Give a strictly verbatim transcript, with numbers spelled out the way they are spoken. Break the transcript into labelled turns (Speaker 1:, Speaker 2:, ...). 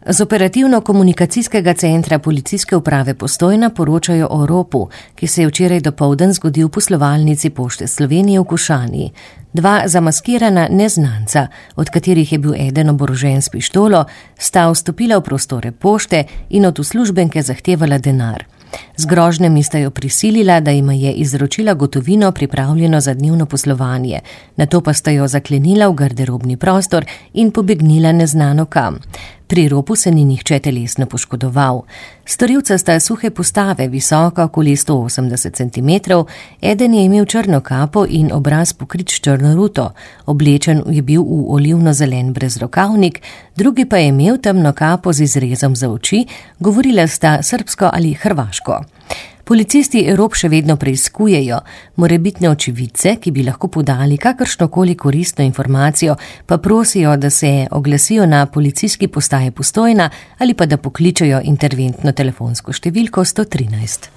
Speaker 1: Z operativno-komunikacijskega centra policijske uprave Postojna poročajo o ropu, ki se je včeraj dopoldan zgodil v poslovalnici Pošte Slovenije v Košani. Dva zamaskirana neznanca, od katerih je bil eden oborožen s pištolo, sta vstopila v prostore pošte in od uslužbenke zahtevala denar. Z grožnjami sta jo prisilila, da jima je izročila gotovino pripravljeno za dnevno poslovanje, nato pa sta jo zaklenila v garderobni prostor in pobegnila neznano kam. Pri ropu se ni nihče telesno poškodoval. Storilca sta suhe postave, visoka okoli sto osemdeset centimetrov, eden je imel črno kapo in obraz pokrit s črno ruto, oblečen je bil v olivno-zelen brezrokavnik, drugi pa je imel temno kapo z izrezom za oči, govorila sta srbsko ali hrvaško. Policisti rop še vedno preiskujejo, morebitne očividce, ki bi lahko podali kakršnokoli koristno informacijo, pa prosijo, da se oglasijo na policijski postaji Postojna ali pa da pokličejo interventno telefonsko številko sto trinajst.